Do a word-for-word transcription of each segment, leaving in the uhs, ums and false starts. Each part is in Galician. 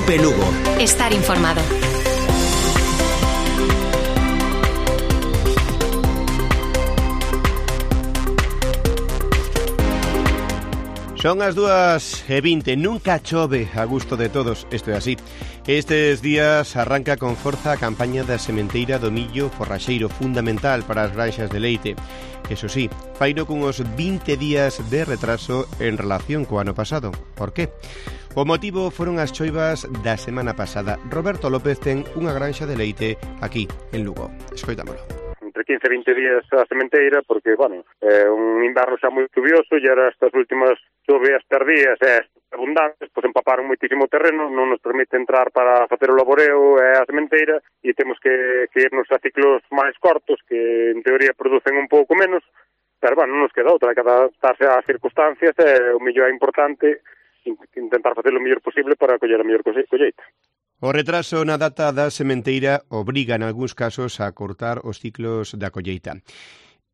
Cope Lugo. Estar informado. Son as dúas e vinte, nunca chove a gusto de todos, isto é así. Estes días arranca con forza a campaña da sementeira do millo forraxeiro, fundamental para as granxas de leite. Eso sí, faino cunhos vinte días de retraso en relación co ano pasado. Por qué? O motivo foron as choivas da semana pasada. Roberto López ten unha granxa de leite aquí, en Lugo. Escoitámolo. Entre quince e vinte días a sementeira, porque, bueno, é un inverno xa moi chuvioso e era estas últimas chovias tardías e abundantes, pois empaparon moitísimo terreno, non nos permite entrar para facer o laboreo e a sementeira e temos que, que irnos a ciclos máis cortos, que en teoría producen un pouco menos, pero, bueno, non nos queda outra, que adaptarse ás circunstancias e o mellor é importante intentar facer o mellor posible para coller a mellor colleita. O retraso na data da sementeira obriga en algúns casos a cortar os ciclos da colleita.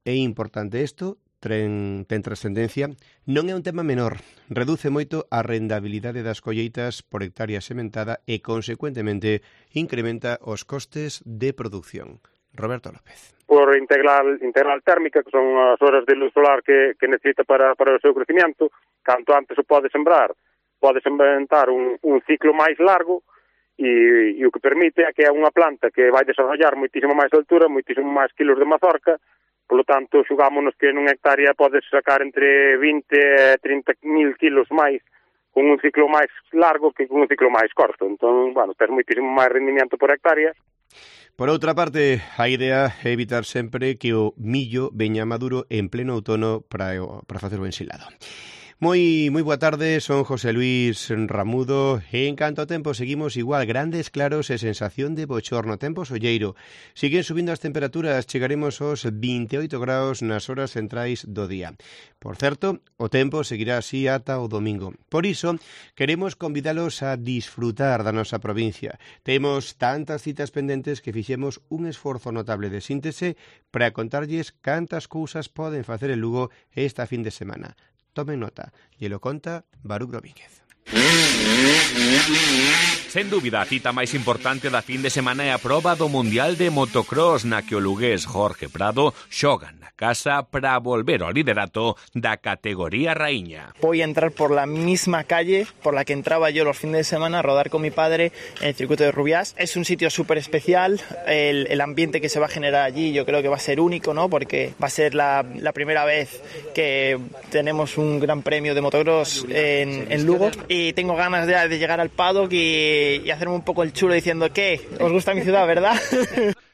É importante isto, ten, ten trascendencia, non é un tema menor. Reduce moito a rendabilidade das colleitas por hectárea sementada e, consecuentemente, incrementa os costes de produción. Roberto López. Por integral, integral térmica, que son as horas de luz solar que, que necesita para, para o seu crecimiento, canto antes o pode sembrar, pode inventar un, un ciclo máis largo, e, e o que permite é que é unha planta que vai desarrollar moitísimo máis altura, moitísimo máis kilos de mazorca, polo tanto, xugámonos que nunha hectárea podes sacar entre vinte e trinta mil kilos máis con un ciclo máis largo que con un ciclo máis corto. Entón, bueno, ter moitísimo máis rendimiento por hectárea. Por outra parte, a idea é evitar sempre que o millo veña maduro en pleno outono para, para facer o ensilado. Moi, moi boa tarde, son José Luis Ramudo e en canto a tempo seguimos igual, grandes claros e sensación de bochorno, tempo solleiro. Siguen subindo as temperaturas, chegaremos aos vinte e oito graus nas horas centrais do día. Por certo, o tempo seguirá así ata o domingo. Por iso, queremos convidalos a disfrutar da nosa provincia. Temos tantas citas pendentes que fixemos un esforzo notable de síntese para contarlles cantas cousas poden facer en Lugo esta fin de semana. Tomen nota, e lo conta Baruch Domínguez. Sen dúbida, a cita máis importante da fin de semana é a proba do Mundial de Motocross na que o lugués Jorge Prado xoga na casa para volver ao liderato da categoría raíña. Voy a entrar por la misma calle por la que entraba yo los fines de semana a rodar con mi padre en el circuito de Rubiás. Es un sitio súper especial, el, el ambiente que se va a generar allí yo creo que va a ser único, ¿no? Porque va a ser la, la primera vez que tenemos un gran premio de motocross en, en Lugo y tengo ganas de, de llegar al paddock y, y hacerme un poco el chulo diciendo que os gusta mi ciudad, ¿verdad?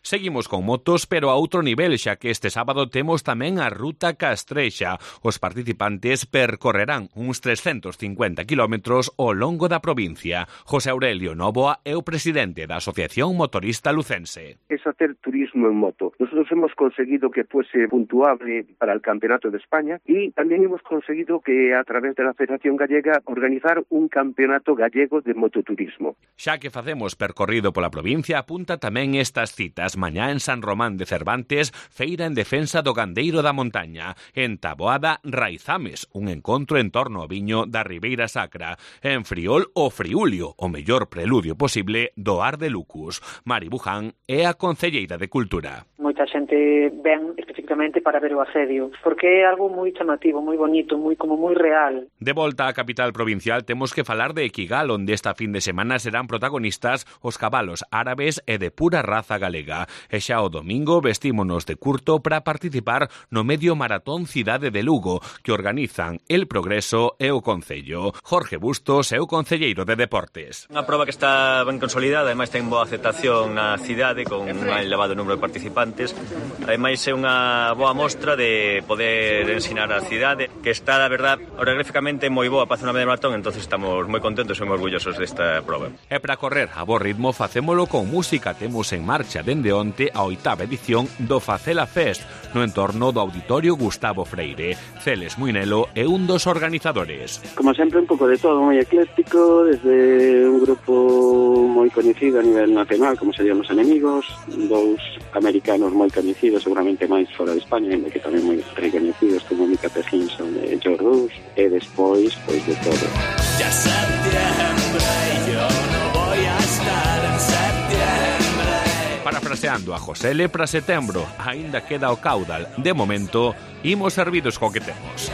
Seguimos con motos, pero a outro nivel, xa que este sábado temos tamén a Ruta Castrexa. Os participantes percorrerán uns trescentos cincuenta kilómetros ao longo da provincia. José Aurelio Novoa é o presidente da Asociación Motorista Lucense. Es hacer turismo en moto. Nosotros hemos conseguido que fuese puntuable para el Campeonato de España y también hemos conseguido que a través de la Federación Gallega organizar un campeonato gallego de mototurismo. Xa que facemos percorrido pola provincia, apunta tamén estas citas. Mañá en San Román de Cervantes, feira en defensa do gandeiro da montaña. En Taboada, Raizames, un encontro en torno ao viño da Ribeira Sacra. En Friol, o Friulio, o mellor preludio posible do Ar de Lucus. Mari Buján é a concelleira de Cultura. Moita xente ven especificamente para ver o asedio, porque é algo moi chamativo, moi bonito, moi como moi real. De volta á capital provincial temos que falar de Equigal, onde esta fin de semana serán protagonistas os cabalos árabes e de pura raza galega. E xa o domingo vestímonos de curto para participar no medio maratón Cidade de Lugo, que organizan El Progreso e o Concello. Jorge Bustos é o concelleiro de Deportes. Unha proba que está ben consolidada, ademais ten boa aceptación na cidade, con un elevado número de participantes. Ademais é unha boa mostra de poder ensinar a cidade, que está, a verdad, orográficamente moi boa para facer unha media maratón, entonces estamos moi contentos e moi orgullosos desta proba. E para correr a bo ritmo facémolo con música. Temos en marcha dende onte a oitava edición do Facela Fest no entorno do Auditorio Gustavo Freire. Celes Muinelo é un dos organizadores. Como sempre, un pouco de todo, moi ecléctico, desde un grupo moi coñecido a nivel nacional, como serían Los Enemigos, dous americanos moi coñecidos, seguramente máis fora de España, que tamén moi recoñecidos, como Mika Hutchinson e George Rush, e despois, pois de todo. Ya septiembre, yo no voy Parafraseando a Josele, para setembro aínda queda o caudal. De momento, imos servidos co que temos.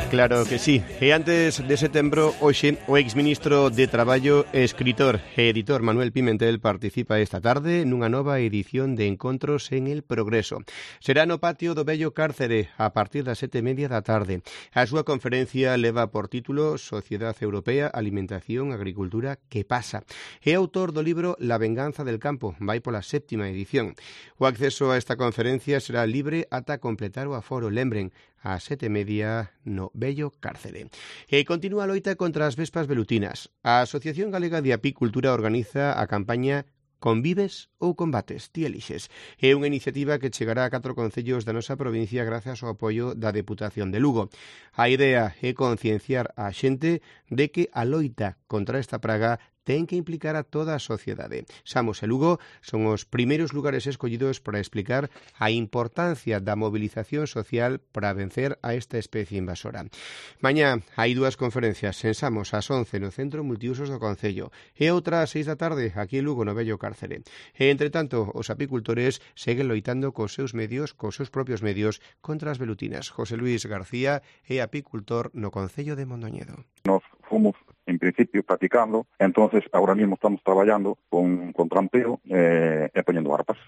Claro que sí. E antes de setembro, hoxe, o exministro de Traballo, escritor e editor Manuel Pimentel participa esta tarde nunha nova edición de Encontros en el Progreso. Será no patio do vello Cárcere a partir das sete e media da tarde. A súa conferencia leva por título Sociedade Europea, Alimentación, Agricultura, que pasa? É autor do libro La venganza del campo, vai pola séptima edición. O acceso a esta conferencia será libre ata completar o aforo. Lembren, a sete e media no vello Cárcere. E continúa a loita contra as vespas velutinas. A Asociación Galega de Apicultura organiza a campaña Convives ou combates, ti elixes. É unha iniciativa que chegará a catro concellos da nosa provincia grazas ao apoio da Deputación de Lugo. A idea é concienciar a xente de que a loita contra esta praga ten que implicar a toda a sociedade. Samos e Lugo son os primeiros lugares escollidos para explicar a importancia da movilización social para vencer a esta especie invasora. Mañá hai dúas conferencias en Samos ás once no Centro Multiusos do Concello e outra ás seis da tarde aquí en Lugo no vello Cárcere. E, entre tanto, os apicultores seguen loitando cos seus medios, cos seus propios medios, contra as velutinas. José Luis García é apicultor no Concello de Mondoñedo. Nos fomos en principio practicando, entonces ahora mismo estamos traballando con, con trampeo eh, e poñendo arpas.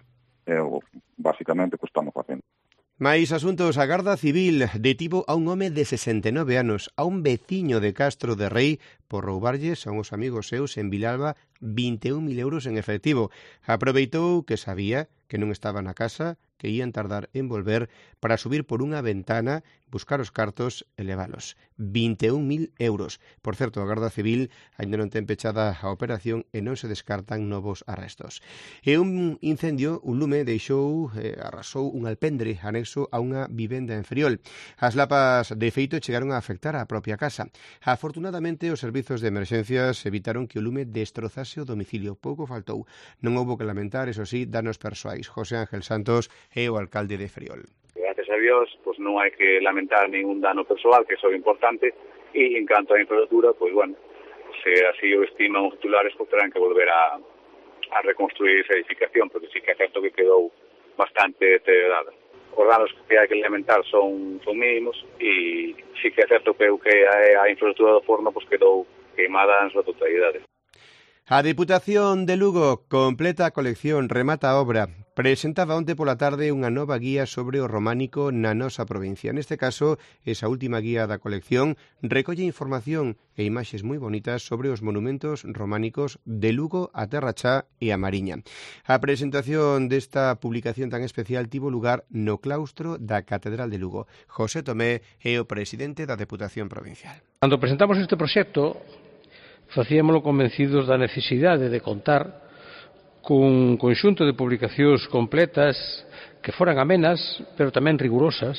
É o basicamente que estamos facendo. Mais asuntos, a Garda Civil detivo a un home de sesenta e nove anos, a un veciño de Castro de Rei, por roubarlles a uns amigos seus en Vilalba vinte e un mil euros en efectivo. Aproveitou que sabía que non estaba na casa, que ían tardar en volver, para subir por unha ventana, buscar os cartos e levalos. vinte e un mil euros. Por certo, a Garda Civil ainda non ten pechada a operación e non se descartan novos arrestos. E un incendio, un lume, deixou, eh, arrasou un alpendre anexo a unha vivenda en Friol. As lapas de feito chegaron a afectar a propia casa. Afortunadamente, os servizos de emerxencias evitaron que o lume destrozase o domicilio. Pouco faltou. Non houbo que lamentar, eso sí, danos persoais. José Ángel Santos é o alcalde de Friol. Gracias a Dios, pues non hai que lamentar ningún dano persoal, que eso é importante, e en canto á infraestructura, pues bueno, se así o estiman os titulares, pues terán que volver a, a reconstruir esa edificación, porque sí que é certo que quedou bastante deteriorada. Os danos que hai que lamentar son, son mínimos, e sí que é certo que, que a, a infraestructura do forno pues quedou queimada en súa totalidade. A Deputación de Lugo completa a colección, remata a obra. Presentaba onte pola tarde unha nova guía sobre o románico na nosa provincia. Neste caso, esa última guía da colección recolle información e imaxes moi bonitas sobre os monumentos románicos de Lugo, a Terra Chá e a Mariña. A presentación desta publicación tan especial tivo lugar no claustro da Catedral de Lugo. José Tomé é o presidente da Deputación Provincial. Cando presentamos este proxecto, facíamolo convencidos da necesidade de contar cun conxunto de publicacións completas que foran amenas, pero tamén rigurosas,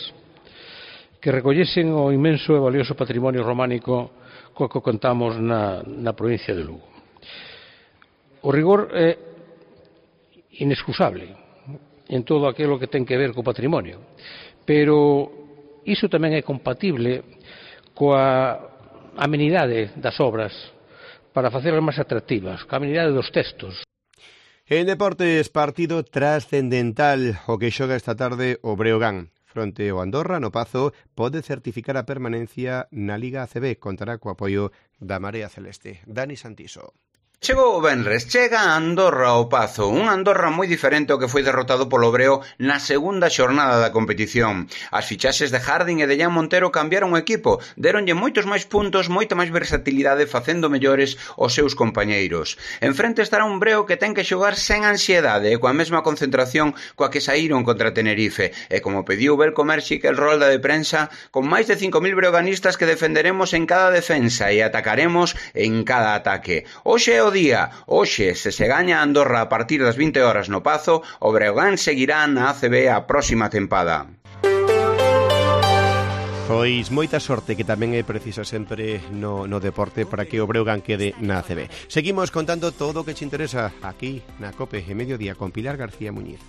que recollesen o inmenso e valioso patrimonio románico co que contamos na, na provincia de Lugo. O rigor é inexcusable en todo aquilo que ten que ver co patrimonio, pero iso tamén é compatible coa amenidade das obras, para facerlas máis atractivas, coa amenidade dos textos. En deportes, partido trascendental o que xoga esta tarde o Breogán. Fronte ao Andorra, no Pazo, pode certificar a permanencia na Liga A C B. Contará co apoio da Marea Celeste. Dani Santiso. Chegou o venres, chega a Andorra ao Pazo, un Andorra moi diferente ao que foi derrotado polo Breo na segunda xornada da competición. As fichaxes de Jardín e de Jan Montero cambiaron o equipo, deronlle moitos máis puntos, moita máis versatilidade facendo mellores os seus compañeiros. En frente estará un Breo que ten que xogar sen ansiedade e coa mesma concentración coa que saíron contra Tenerife, e como pediu Belko Merxic el rolda de prensa, con máis de cinco mil breoganistas que defenderemos en cada defensa e atacaremos en cada ataque. Hoxe é o día. Hoxe, se se gaña Andorra a partir das vinte horas no Pazo, o Breogán seguirá na A C B a próxima tempada. Pois moita sorte, que tamén é precisa sempre no, no deporte, para que o Breogán quede na A C B. Seguimos contando todo o que te interesa aquí na COPE e Mediodía con Pilar García Muñiz.